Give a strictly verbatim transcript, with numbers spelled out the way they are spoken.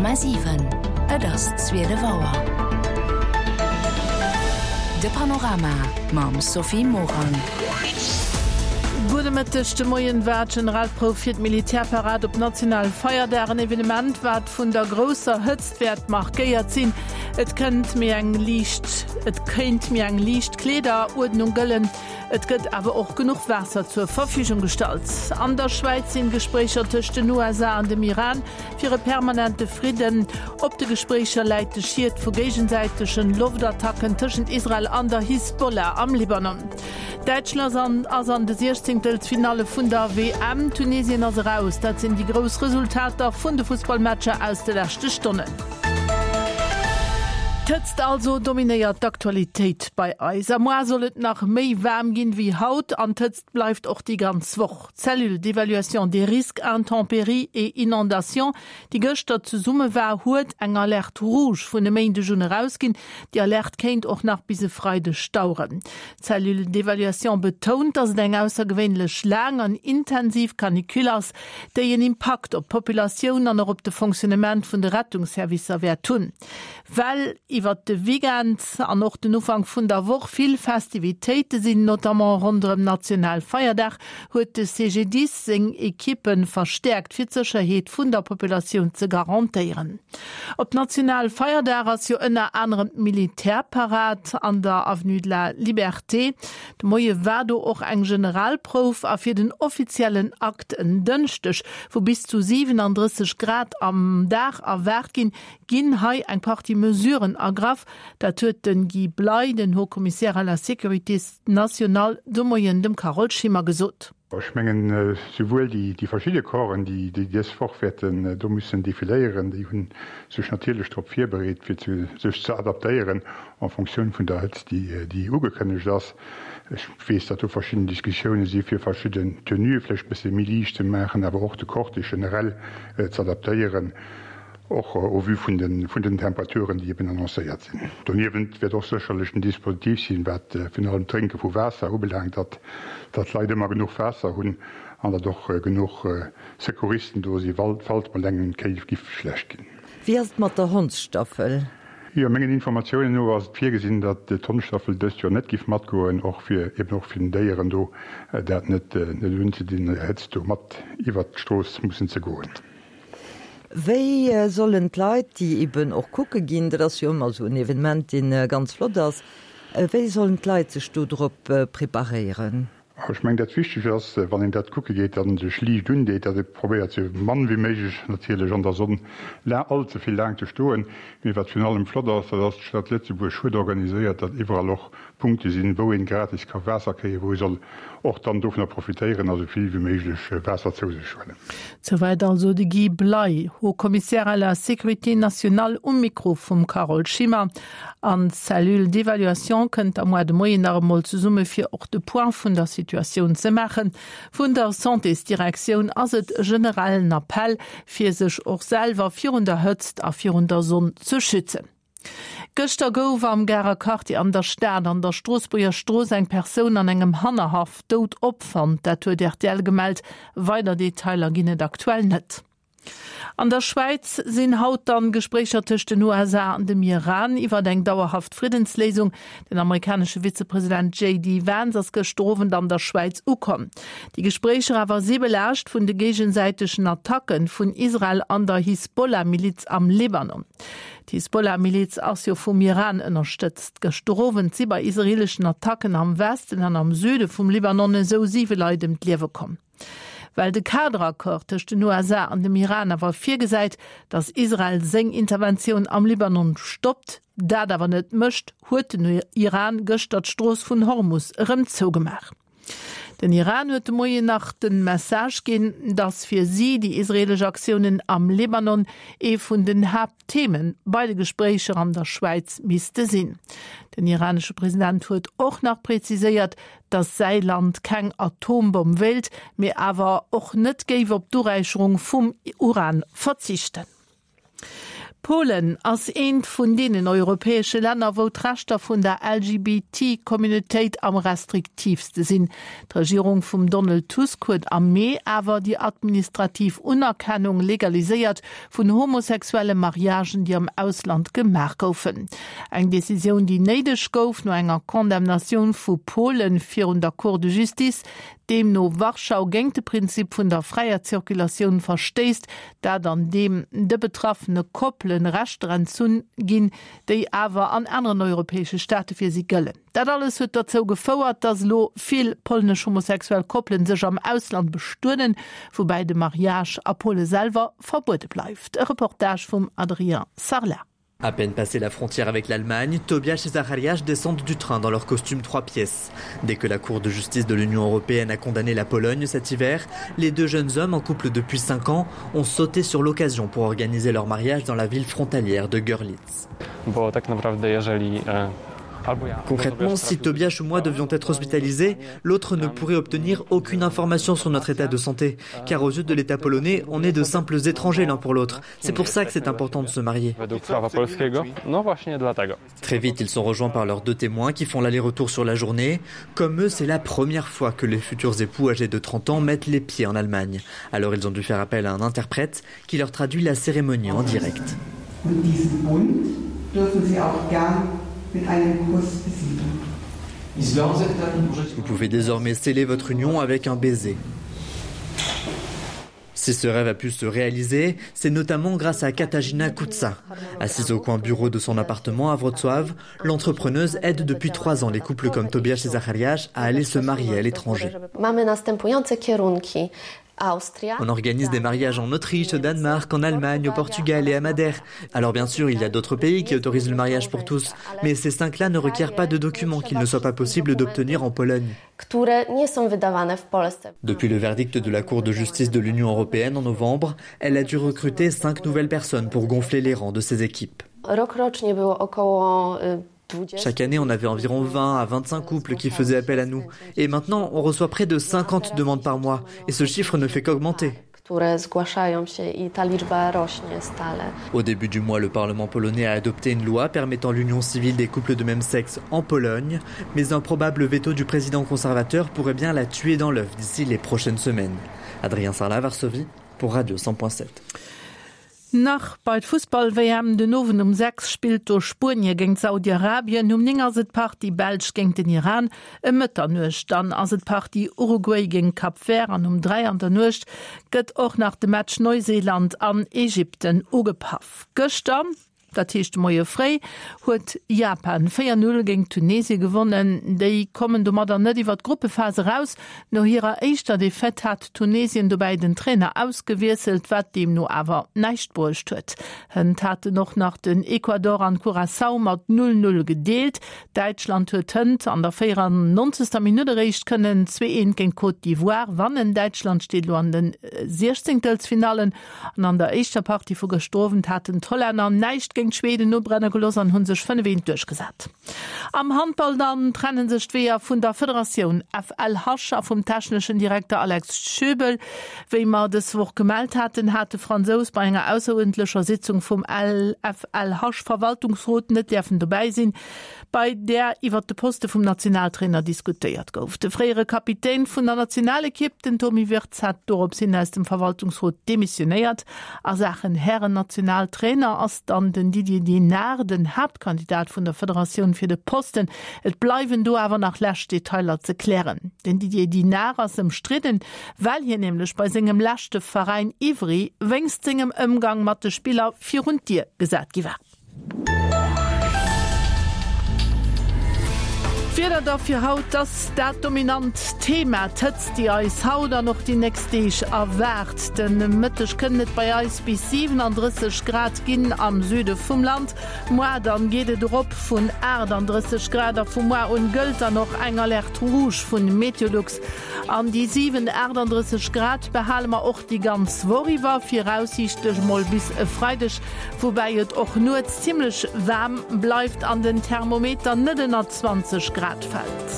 Komma siwen, Et ass zwielef Auer. De Panorama mam Sophie Morang. Gudde Mëtteg, De Moien war d'Generalprouf fir d'Militärparad op nationale Feierdag, en Evenement wat vun der grousser Hëtzt wäert markéiert sinn. Et kënnt méi eng liicht et kéint méi eng liicht Kleederuerdnung gëllen. Et gëtt awer och genuch Waasser zur Verfügung gestallt. An der Schwäiz sinn Gespréicher tëscht den U S A an dem Iran fir e permanente Fridden. Op de Gespréicher läit de Schied vu géigesäitegen Loftattacken tëschent Israel an der Hisbollah am Libanon. Däitschland ass an de Siechzéngtelsfinalle vun der W M. Tunesien ass eraus. Dat sinn déi grouss Resultater vun de Fussballmatcher aus de leschte Stonnen. D'Hëtzt also dominéiert d'Aktualitéit bei eis. A muer soll et nach méi waarm ginn wéi haut an d'Hëtzt bleift och déi ganz Woch. D'Cellule d'évaluation des risques intempéries et inondations, déi gëschter zesumme war, huet eng Alerte rouge vun e Méindeg un erausginn. Déi Alerte kéint och nach bis e Freideg daueren. D'Cellule d'évaluation betount, datt et eng aussergewéinlech laang an intensiv Canicule ass, déi en Impakt op d'Populatioun an och op de Fonctionnement vun de Rettungsservicer wäert hunn. Well iwwer de Weekend an och den Ufank vun der Woch vill Festivitéite sinn, notamment ronderëm Nationalfeierdag, huet de C G D I S seng Ekippen verstärkt fir d'Sécherheet vun der Populatioun ze garantéieren. Op Nationalfeierdag ass jo ënner anerem d'Militärparad an der Avenue de la Liberté. De Moie war do och eng Generalprouf a fir den offiziellen Akt en Dënschdeg, wou bis zu siewenunddrësseg Grad am Dag erwaart ginn, ginn hei eng Partie Mesuren ergraff. Dat huet den Guy Bley, den Haut-Commissaire à la Sécurité nationale, de Moien dem Carole Schimmer gesot. Ech mengen, souwuel déi, déi verschiedene Corpsen, déi, déi dës Woch wäerten do müssen defiléieren, déi hunn sech natierlech drop virbereet, fir zu, sech ze adaptéieren en Fonction vun der Hëtzt, déi, déi ugekënnegt ass. Ech weess, datt do verschiedene Diskussioune si fir verschidden Tenue vläicht e bësse méi liicht ze maachen, awer och de Cortège generell, äh, ze adaptéieren, och au vu vun den, vun den Temperaturen, déi eben annoncéiert sinn. Doniewent wäert och sécherlech en Dispositiv sinn, wat, äh, virun allem Trinke vu Waasser ubelaangt, datt, datt d'Leit ëmmer genuch Waasser hunn an datt och, äh, genuch, äh, Secouristen do si, falls mal engem Kéif giff schlecht ginn. Wie ass et mat der Hondsstaffel? Jo, mengen Informatiounen no ass et virgesinn, datt d'Hondstaffel dëst Joer net giff matgoen, och fir, eben och fir den Déieren do, äh, dat net, äh, net unzedinn, Hëtzt do mat iwwer d'Strooss mussen ze goen. Wéi, äh, sollen d'Leit, déi eben och kucke ginn, dat ass jo ëmmer so en Evenement, deen, äh, ganz flott ass, äh, wéi sollen d'Leit sech do drop, äh, preparéieren? Ech meng, dat wichteg ass, wann een dat kucke geet, datt en sech liicht undeet, datt e probéiert sou mann wéi méiglech natierlech an der Sonn la-, allze vill laang ze stoen. Mee wat virun allem flott ass, dat ass, d'Stad Lëtzebuerg huet organiséiert, datt iwwerall och Punkte sinn, wou een gratis ka Waasser kréien, wou ee soll och dann dovunner profitéieren, also vill wéi méiglech Waasser zou sech huelen. Soweit also de Guy Bley, Haut-Commissaire à la Sécurité nationale um Mikro vum Carole Schimmer. An d'Cellule d'évaluation kënnt am Mois de Moien nach emol zesumme fir och de Point vun der Situatioun ze maachen. Vun der Santésdirektioun ass et generellen Appell, fir sech och selwer virun der Hëtzt a virun der Sonn ze schützen. Gëschter gouf am Garer Quartier an der Stad an der Stroossbuerger Strooss eng Persoun an engem Hannerhaff dout opfonnt. Dat huet R T L gemellt. Weider Detailer ginn et aktuell net. An der Schwäiz sinn haut dann Gespréicher tëscht den U S A an dem Iran iwwer eng dauerhaft Friddensléisung. Den amerikanesche Vizepräsident J D Vance ass gëschter Owend an der Schwäiz ukomm. Déi Gespréicher awer si belaascht vun de géigesäitegen Attacken vun Israel an der Hisbollah-Miliz am Libanon. D'Hisbollah-Miliz ass jo vum Iran ënnerstëtzt. Gëschter Owend si bei israelischen Attacken am Westen an am Süde vum Libanon esou siwe Leit ëm d'Liewe komm. Well de Kaderaccord tëscht den U S A an dem Iran awer virgesäit, datt Israel seng Interventioun am Libanon stoppt, dat awer net mécht, huet den Iran gëschter d'Strooss vun Hormus erëm zougemaach. Den Iran huet de Moien nach den Message ginn, datt fir si déi israelesch Aktiounen am Libanon ee vun den Haaptthemen bei de Gespréicher an der Schwäiz misste sinn. Den iranesche President huet och nach präziséiert, datt säi Land keng Atombomm wéilt, mee awer och net géif op d'Uräicherung vum Uran verzichten. Polen ass eent vun deenen europäesche Länner, wou d'Rechter vun der L G B T-Communautéit am restriktiivste sinn. D'Regierung vum Donald Tusk huet am Mee awer déi administrativ Unerkennung legaliséiert vun homosexuelle Mariagen, déi am Ausland gemaach goufen. Eng Decisioun, déi néideg gouf no enger Condemnatioun vu Polen virun der Cour de Justice, deemno Warschau géint de Prinzip vun der fräier Zirkulatioun verstéisst, dat andeem de betraffene Koppelen Rechter entzunn ginn, déi awer an aneren europäesche Staate fir si gëllen. Dat alles huet dozou gefouert, dass lo vill polnesch homosexuell Koppelen sech am Ausland bestueden, woubäi de Mariage a Pole selwer verbuede bleift. E Reportage vum Adrien Sarlat. À peine passé la frontière avec l'Allemagne, Tobias et Zacharias descendent du train dans leur costume trois pièces. Dès que la Cour de justice de l'Union européenne a condamné la Pologne cet hiver, les deux jeunes hommes en couple depuis cinq ans ont sauté sur l'occasion pour organiser leur mariage dans la ville frontalière de Görlitz. Concrètement, si Tobias ou moi devions être hospitalisés, l'autre ne pourrait obtenir aucune information sur notre état de santé, car aux yeux de l'État polonais, on est de simples étrangers l'un pour l'autre. C'est pour ça que c'est important de se marier. Très vite, ils sont rejoints par leurs deux témoins qui font l'aller-retour sur la journée. Comme eux, c'est la première fois que les futurs époux âgés de trente ans mettent les pieds en Allemagne. Alors ils ont dû faire appel à un interprète qui leur traduit la cérémonie en direct. Und diesen Bund dürfen Sie auch gern mit einem Kuss besiegeln. Vous pouvez désormais sceller votre union avec un baiser. Si ce rêve a pu se réaliser, c'est notamment grâce à Katarzyna Kutsa. Assise au coin bureau de son appartement à Wrocław, l'entrepreneuse aide depuis trois ans les couples comme Tobias et Zacharias à aller se marier à l'étranger. Mamy następujące kierunki. Austria. On organise des mariages en Autriche, au Danemark, en Allemagne, au Portugal et à Madère. Alors bien sûr, il y a d'autres pays qui autorisent le mariage pour tous, mais ces cinq-là ne requièrent pas de documents qu'il ne soit pas possible d'obtenir en Pologne. Które nie są wydawane w Polsce. Depuis le verdict de la Cour de justice de l'Union européenne en novembre, elle a dû recruter cinq nouvelles personnes pour gonfler les rangs de ses équipes. Rokrocznie było około Chaque année, on avait environ vingt à vingt-cinq couples qui faisaient appel à nous. Et maintenant, on reçoit près de cinquante demandes par mois. Et ce chiffre ne fait qu'augmenter. Które zgłaszają się i ta liczba rośnie stale. Au début du mois, le Parlement polonais a adopté une loi permettant l'union civile des couples de même sexe en Pologne, mais un probable veto du président conservateur pourrait bien la tuer dans l'œuf d'ici les prochaines semaines. Adrien Sarlat, Varsovie, pour Radio cent point sept. Nach bei Fussball-W M den Owend um sechs spillt do Spuenie géint Saudi-Arabien, um néng ass et d'Partie Belsch géint den Iran, ëm Mëtternuecht dann ass et d'Partie Uruguay géint Cap Vert an um dräi an der Nuecht gëtt och nach de Match Neuseeland an Ägypten ugepaff. Gëschter, dat heescht de Moie fréi, huet Japan véier null géint Tunesie gewonnen. Déi kommen domadder net iwwer d'Gruppephas eraus. No hirer éischter Defaite hat Tunesien dobäi den Trainer ausgewiesselt, wat deemno awer näischt bruecht huet. Hënt haten och nach den Ecuador an Curaçao mat null null gedeelt. Däitschland huet hënt an der véierannonzegster Minutt eréischt kënnen zwee eent géint Côte d'Ivoire wannen. Däitschland steet lo an den Siechzéngtelsfinallen an an der éischter Partie vu gëschter Owend haten d'Hollänner näischt géint Schweden ubrenne gelooss an hu sech fënnef eent duerchgesat. Am Handball dann trennen sech d'Weeër vun der Federatioun F L H a vum techneschen Direkter Alex Schöbel. Wéi mer dës Woch gemellt haten, hat de Fransous bei enger ausseruerdentlecher Sitzung vum F L H Verwaltungsrot net däerfen dobäi sinn, bei där iwwer de Poste vum Nationaltrainer diskutéiert gouf. De fréiere Kapitän vun der Nationalekipp, den Tommy Wirtz, hat dorops hin aus dem Verwaltungsrot demissionéiert. A Saachen Hären-Nationaltrainer ass dann den Didier Dinart den Haaptkandidat vun der Federatioun fir de Posten. Et bleiwen do awer nach lescht Detailer ze klären. Den Didier Dinart ass ëmstridden, well hien nämlech bei sengem leschte Veräin Ivry wéinst sengem Ëmgang mat de Spiller virun d'Dier gesat gi war. D'Wieder da fir haut, ass dat dominant Thema, d'Hëtzt, déi eis haut an och déi nächst Deeg erwaart. De Mëtteg kënnen et bei eis bis siwenandrësseg Grad ginn am Süde vum Land. Muer dann geet et erop vun aachtanddrësseg Grad a vu muer un gëllt dann och eng Alerte rouge vun Meteolux. An déi siwen, aachtanddrësseg Grad behale mer och déi ganz Woch iwwer, viraussiichtlech mol bis e Freideg, woubäi et och nuets zimmlech waarm bleift an den Thermometer net ënner zwanzeg Grad fält.